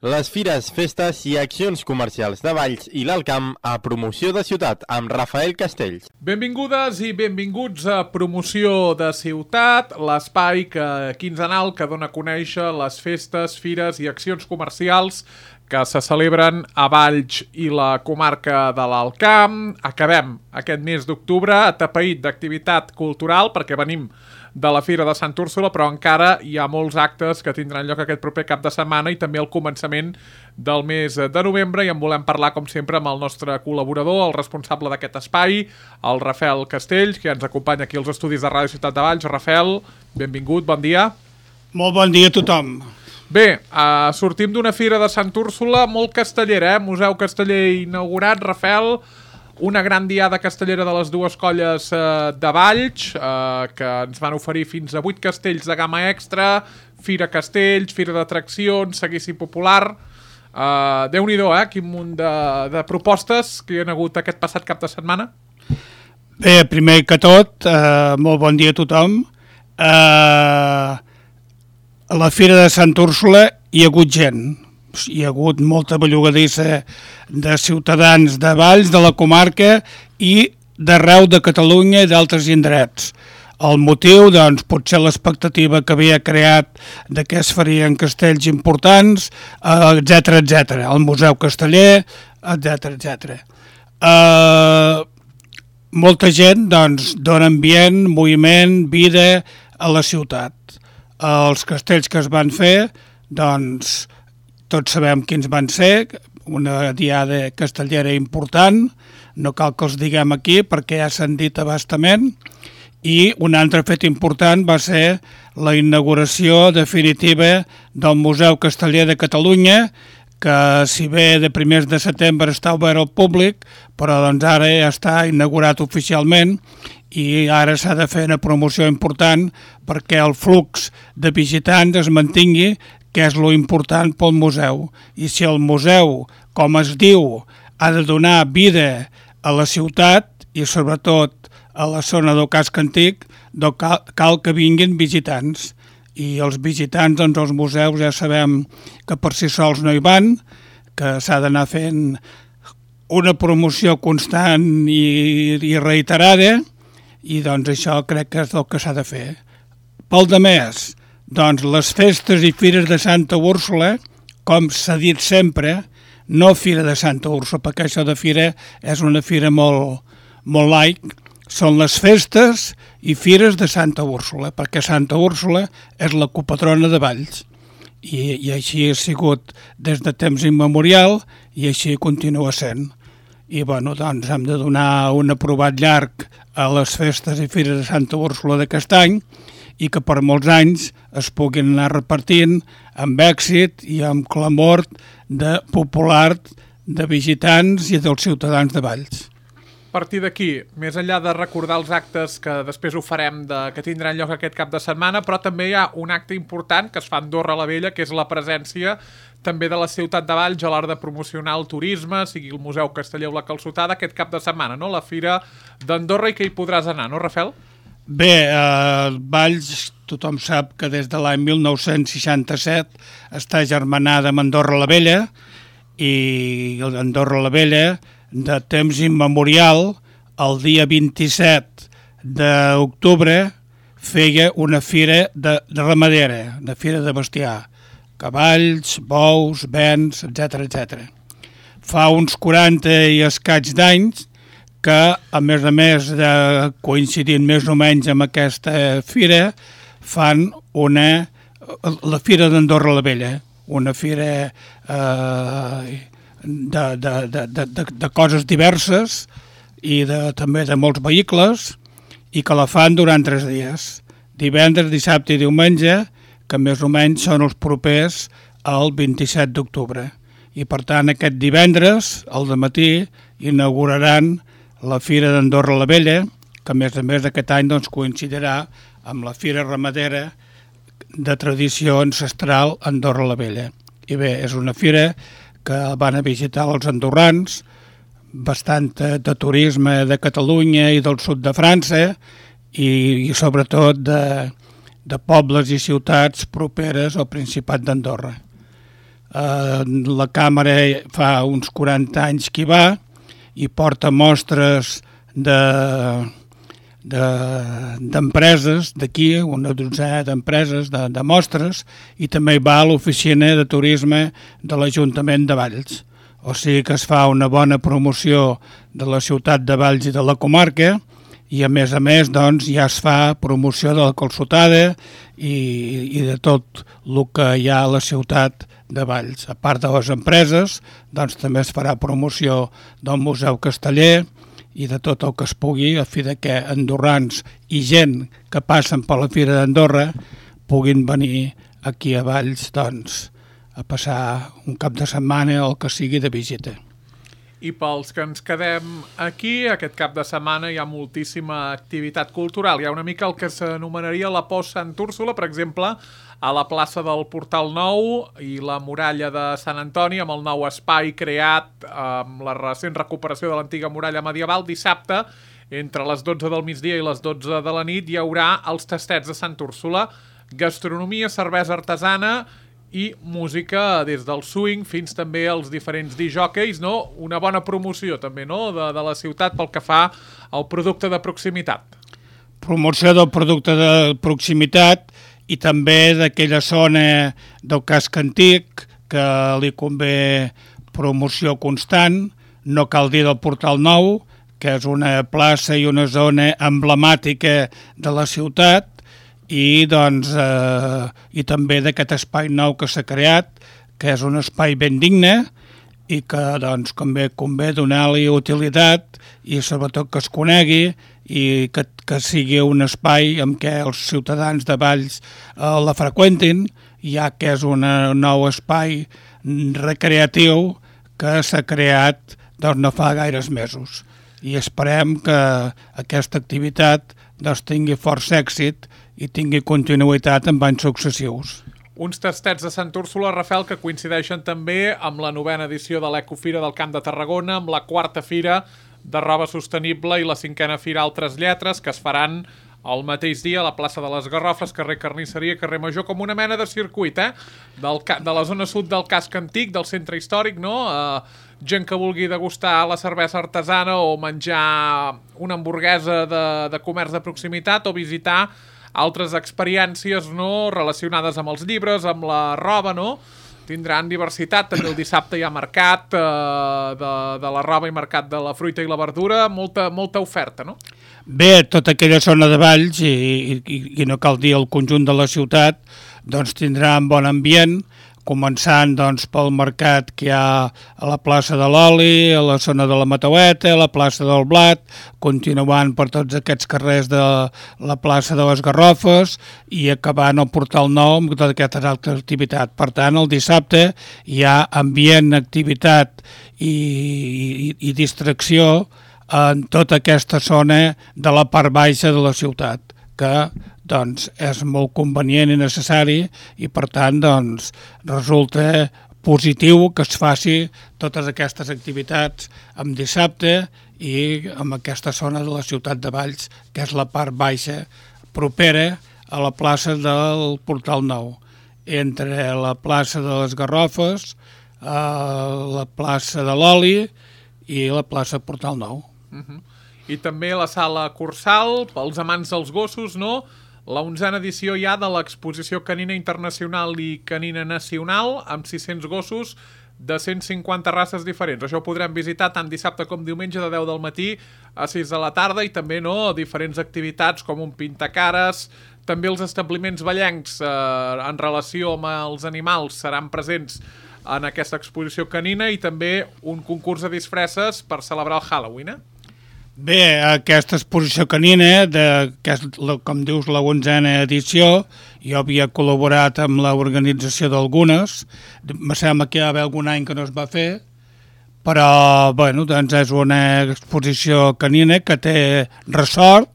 Les fires, festes i accions comercials de Valls i l'Alt Camp a Promoció de Ciutat amb Rafael Castells. Benvingudes i benvinguts a Promoció de Ciutat, l'espai quinzenal que dona a conèixer les festes, fires i accions comercials que se celebren a Valls i la comarca de l'Alt Camp. Acabem aquest mes d'octubre atapeït d'activitat cultural perquè venim de la Fira de Sant Úrsula, però encara hi ha molts actes que tindran lloc aquest proper cap de setmana i també al començament del mes de novembre, i en volem parlar, com sempre, amb el nostre col·laborador, el responsable d'aquest espai, el Rafael Castells, que ens acompanya aquí als estudis de Ràdio Ciutat de Valls. Rafael, benvingut, bon dia. Molt bon dia a tothom. Bé, sortim d'una Fira de Sant Úrsula molt castellera, Museu Casteller inaugurat, Rafael, una gran diada castellera de les dues colles de Valls, que ens van oferir fins a 8 castells de gamma extra, Fira Castells, Fira d'atraccions, seguici popular. Déu-n'hi-do, quin munt de propostes que hi ha hagut aquest passat cap de setmana. Bé, primer que tot, molt bon dia a tothom. A la Fira de Sant Úrsula hi ha hagut gent. Hi ha hagut molta bellugadissa de ciutadans de Valls, de la comarca i d'arreu de Catalunya i d'altres indrets. El motiu, doncs, potser l'expectativa que havia creat de què es farien castells importants, etc. El Museu Casteller, etc. Molta gent, doncs, dona ambient, moviment, vida a la ciutat. Els castells que es van fer, doncs, tots sabem quins van ser, una diada castellera important, no cal que els diguem aquí perquè ja s'han dit abastament, i un altre fet important va ser la inauguració definitiva del Museu Casteller de Catalunya, que si bé de primers de setembre està obert al públic, però doncs ara ja està inaugurat oficialment i ara s'ha de fer una promoció important perquè el flux de visitants es mantingui, que és lo important pel museu. I si el museu, com es diu, ha de donar vida a la ciutat i sobretot a la zona del casc antic, doncs cal que vinguin visitants. I els visitants, doncs els museus ja sabem que per si sols no hi van, que s'ha d'anar fent una promoció constant i reiterada, i doncs això crec que és el que s'ha de fer. Pel demés, doncs les festes i fires de Santa Úrsula, com s'ha dit sempre, no Fira de Santa Úrsula, perquè això de fira és una fira molt laic, són les festes i fires de Santa Úrsula, perquè Santa Úrsula és la copatrona de Valls. I així ha sigut des de temps immemorial i així continua sent. I bueno, doncs hem de donar un aprovat llarg a les festes i fires de Santa Úrsula d'aquest any, i que per molts anys es puguin anar repartint amb èxit i amb clamor popular de visitants i dels ciutadans de Valls. A partir d'aquí, més enllà de recordar els actes que després ho farem que tindran lloc aquest cap de setmana, però també hi ha un acte important que es fa a Andorra la Vella, que és la presència també de la ciutat de Valls a l'hora de promocionar el turisme, sigui el Museu Casteller o la Calçotada, aquest cap de setmana, no? La Fira d'Andorra, i que hi podràs anar, no, Rafael? Bé, Valls, tothom sap que des de l'any 1967 està germanada amb Andorra la Vella, i Andorra la Vella, de temps immemorial, el dia 27 d'octubre, feia una fira de ramadera, una fira de bestiar, cavalls, bous, bens, etc. Fa uns 40 i escaig d'anys que, a més de coincidint més o menys amb aquesta fira, fan la Fira d'Andorra la Vella, una fira de coses diverses i també de molts vehicles, i que la fan durant 3 dies, divendres, dissabte i diumenge, que més o menys són els propers al 27 d'octubre. I per tant aquest divendres, al dematí, inauguraran la Fira d'Andorra la Vella, que a més aquest any doncs, coincidirà amb la Fira Ramadera de tradició ancestral Andorra la Vella. I bé, és una fira que van a visitar els andorrans, bastant de turisme de Catalunya i del sud de França, i sobretot de pobles i ciutats properes al Principat d'Andorra. La càmera fa uns 40 anys que hi va i porta mostres d'empreses d'aquí, una dotzena d'empreses de mostres, i també hi va a l'oficina de turisme de l'Ajuntament de Valls. O sigui que es fa una bona promoció de la ciutat de Valls i de la comarca, i a més, doncs, ja es fa promoció de la calçotada i de tot el que hi ha a la ciutat de Valls. A part de les empreses, doncs també es farà promoció del Museu Casteller i de tot el que es pugui, a fi de que andorrans i gent que passen per la Fira d'Andorra puguin venir aquí a Valls, doncs, a passar un cap de setmana o el que sigui de visita. I pels que ens quedem aquí, aquest cap de setmana hi ha moltíssima activitat cultural. Hi ha una mica el que s'anomenaria la Post Sant Úrsula, per exemple, a la plaça del Portal Nou i la muralla de Sant Antoni, amb el nou espai creat amb la recent recuperació de l'antiga muralla medieval. Dissabte, entre les 12 del migdia i les 12 de la nit, hi haurà els tastets de Sant Úrsula, gastronomia, cervesa artesana i música des del swing fins també als diferents disjòqueis, no? Una bona promoció també, no?, de la ciutat pel que fa al producte de proximitat. Promoció del producte de proximitat i també d'aquella zona del casc antic que li convé promoció constant. No cal dir del Portal Nou, que és una plaça i una zona emblemàtica de la ciutat, i també d'aquest espai nou que s'ha creat, que és un espai ben digne i que doncs, convé donar-li utilitat i sobretot que es conegui i que sigui un espai en què els ciutadans de Valls la freqüentin, ja que és un nou espai recreatiu que s'ha creat doncs, no fa gaires mesos. I esperem que aquesta activitat doncs, tingui força èxit i tingui continuïtat en anys successius. Uns tastets de Sant Úrsula, Rafael, que coincideixen també amb la 9a edició de l'Ecofira del Camp de Tarragona, amb la 4a Fira de Roba Sostenible i la 5a Fira Altres Lletres, que es faran el mateix dia a la plaça de les Garrofes, carrer Carnisseria, carrer Major, com una mena de circuit, de la zona sud del casc antic, del centre històric, no? Gent que vulgui degustar la cervesa artesana o menjar una hamburguesa de comerç de proximitat o visitar altres experiències, no?, relacionades amb els llibres, amb la roba, no? Tindran diversitat, també el dissabte hi ha mercat de la roba i mercat de la fruita i la verdura, molta oferta, no? Bé, tota aquella zona de Valls, i no cal dir el conjunt de la ciutat, doncs tindrà un bon ambient, començant doncs, pel mercat que hi ha a la plaça de l'Oli, a la zona de la Mataueta, a la plaça del Blat, continuant per tots aquests carrers de la plaça de les Garrofes i acabant al Portal Nou amb tota aquesta altra activitat. Per tant, el dissabte hi ha ambient, activitat i distracció en tota aquesta zona de la part baixa de la ciutat, que doncs, és molt convenient i necessari i, per tant, doncs, resulta positiu que es faci totes aquestes activitats en dissabte i en aquesta zona de la ciutat de Valls, que és la part baixa propera a la plaça del Portal Nou, entre la plaça de les Garrofes, la plaça de l'Oli i la plaça Portal Nou. I també la sala Cursal, pels amants dels gossos, no?, la 11a edició ja de l'exposició canina internacional i canina nacional, amb 600 gossos de 150 races diferents. Això ho podrem visitar tant dissabte com diumenge de 10 del matí a 6 de la tarda i també, no?, diferents activitats com un pintacares. També els establiments vallencs en relació amb els animals seran presents en aquesta exposició canina i també un concurs de disfresses per celebrar el Halloween, Bé, aquesta exposició canina, que és, com dius, la 11a edició, jo havia col·laborat amb l'organització d'algunes, me sembla que hi va haver algun any que no es va fer, però bueno, doncs és una exposició canina que té ressort,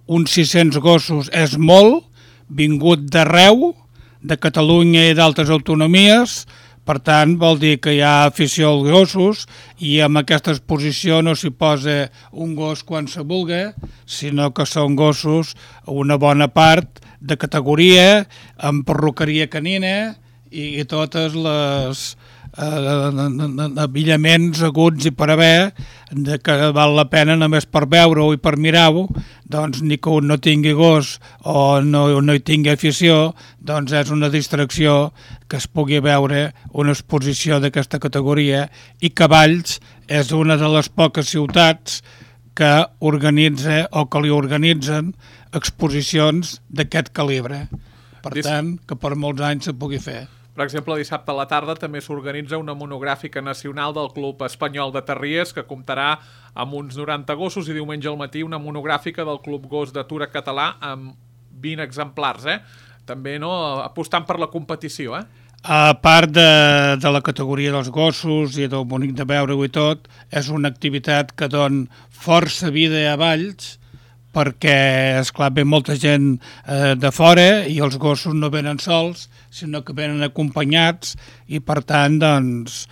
uns 600 gossos és molt, vingut d'arreu, de Catalunya i d'altres autonomies. Per tant, vol dir que hi ha afició als gossos i amb aquesta exposició no s'hi posa un gos quan se vulgui, sinó que són gossos una bona part de categoria, amb perruqueria canina i totes les abillaments aguts i per haver que val la pena només per veure-ho i per mirar-ho, doncs ni que un no tingui gos o no hi tingui afició, doncs és una distracció que es pugui veure una exposició d'aquesta categoria, i que Valls és una de les poques ciutats que organitza o que li organitzen exposicions d'aquest calibre. Per tant, que per molts anys se pugui fer. Per exemple, dissabte a la tarda també s'organitza una monogràfica nacional del Club Espanyol de Terriers, que comptarà amb uns 90 gossos, i diumenge al matí una monogràfica del Club Gos d'Atura Català amb 20 exemplars, també apostant per la competició. A part de la categoria dels gossos i del bonic de veure-ho i tot, és una activitat que dona força vida a Valls, perquè, esclar, ve molta gent de fora i els gossos no venen sols, sinó que venen acompanyats, i per tant, doncs,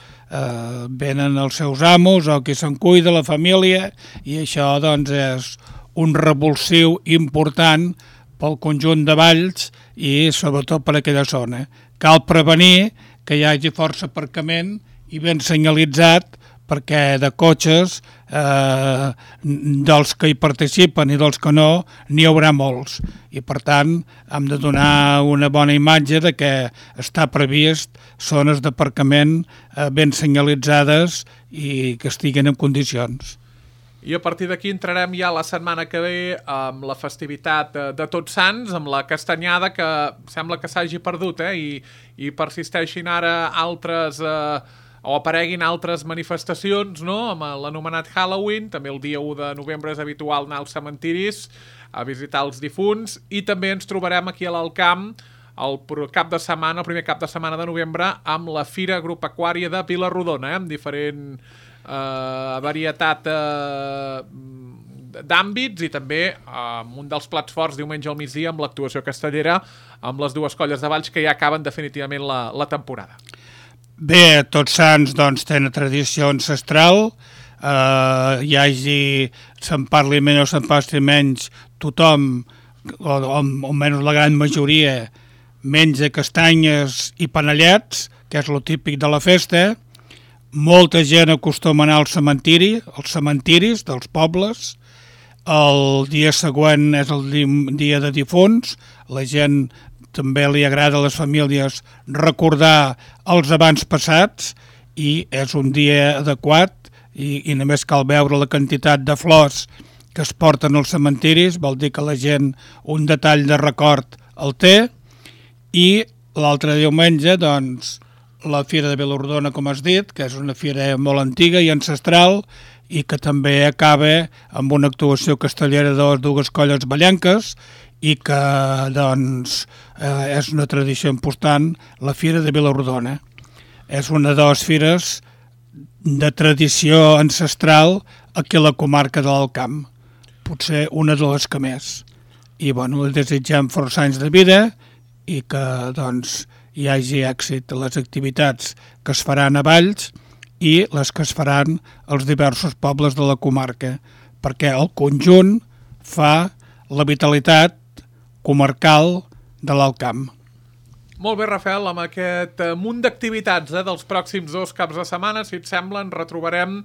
venen els seus amos o qui se'n cuida, la família, i això, doncs, és un revulsiu important pel conjunt de Valls i sobretot per aquella zona. Cal prevenir que hi hagi força aparcament i ben senyalitzat, perquè de cotxes, dels que hi participen i dels que no, n'hi haurà molts. I per tant, hem de donar una bona imatge de que està previst zones d'aparcament ben senyalitzades i que estiguin en condicions. I a partir d'aquí entrarem ja la setmana que ve amb la festivitat de Tots Sants, amb la castanyada, que sembla que s'hagi perdut, i persisteixin ara altres... o apareguin altres manifestacions, amb l'anomenat Halloween. També el dia 1 de novembre és habitual anar als cementiris a visitar els difunts, i també ens trobarem aquí a l'Alcamp el primer cap de setmana de novembre amb la Fira Agropecuària de Vila-rodona, amb diferent varietat d'àmbits, i també amb un dels plats forts diumenge al migdia amb l'actuació castellera amb les dues colles de Valls, que ja acaben definitivament la temporada. Bé, Tots Sants doncs, tenen tradició ancestral, se'n parli menys o se'n passi menys, tothom, o almenys la gran majoria, menja castanyes i panellets, que és el típic de la festa. Molta gent acostuma a anar als cementiris dels pobles. El dia següent és el dia de difunts, la gent també li agrada a les famílies recordar els abans passats, i és un dia adequat, i només cal veure la quantitat de flors que es porten als cementiris, vol dir que la gent un detall de record el té. I l'altre diumenge, doncs, la Fira de Vila-rodona, com has dit, que és una fira molt antiga i ancestral, i que també acaba amb una actuació castellera de les dues colles ballenques, i que, doncs, és una tradició important, la Fira de Vila-rodona. És una de les fires de tradició ancestral aquí a la comarca de l'Alcamp, potser una de les que més. I, bueno, desitgem força anys de vida i que, doncs, hi hagi èxit a les activitats que es faran a Valls i les que es faran als diversos pobles de la comarca, perquè el conjunt fa la vitalitat comarcal de l'Alcamp. Molt bé, Rafael, amb aquest munt d'activitats dels pròxims 2 caps de setmana, si et sembla, ens retrobarem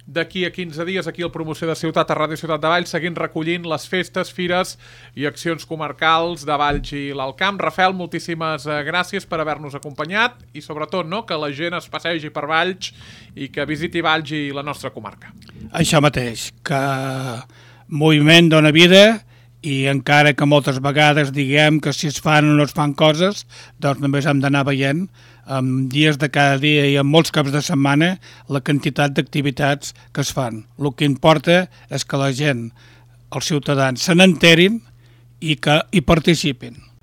d'aquí a 15 dies aquí al Promoció de Ciutat a Ràdio Ciutat de Valls, seguint recollint les festes, fires i accions comarcals de Valls i l'Alcamp. Rafael, moltíssimes gràcies per haver-nos acompanyat, i sobretot que la gent es passegi per Valls i que visiti Valls i la nostra comarca. Això mateix, que moviment dona vida, i encara que moltes vegades diguem que si es fan o no es fan coses, doncs només hem d'anar veient en dies de cada dia i en molts caps de setmana la quantitat d'activitats que es fan. El que importa és que la gent, els ciutadans, se n'enterin i que hi participin.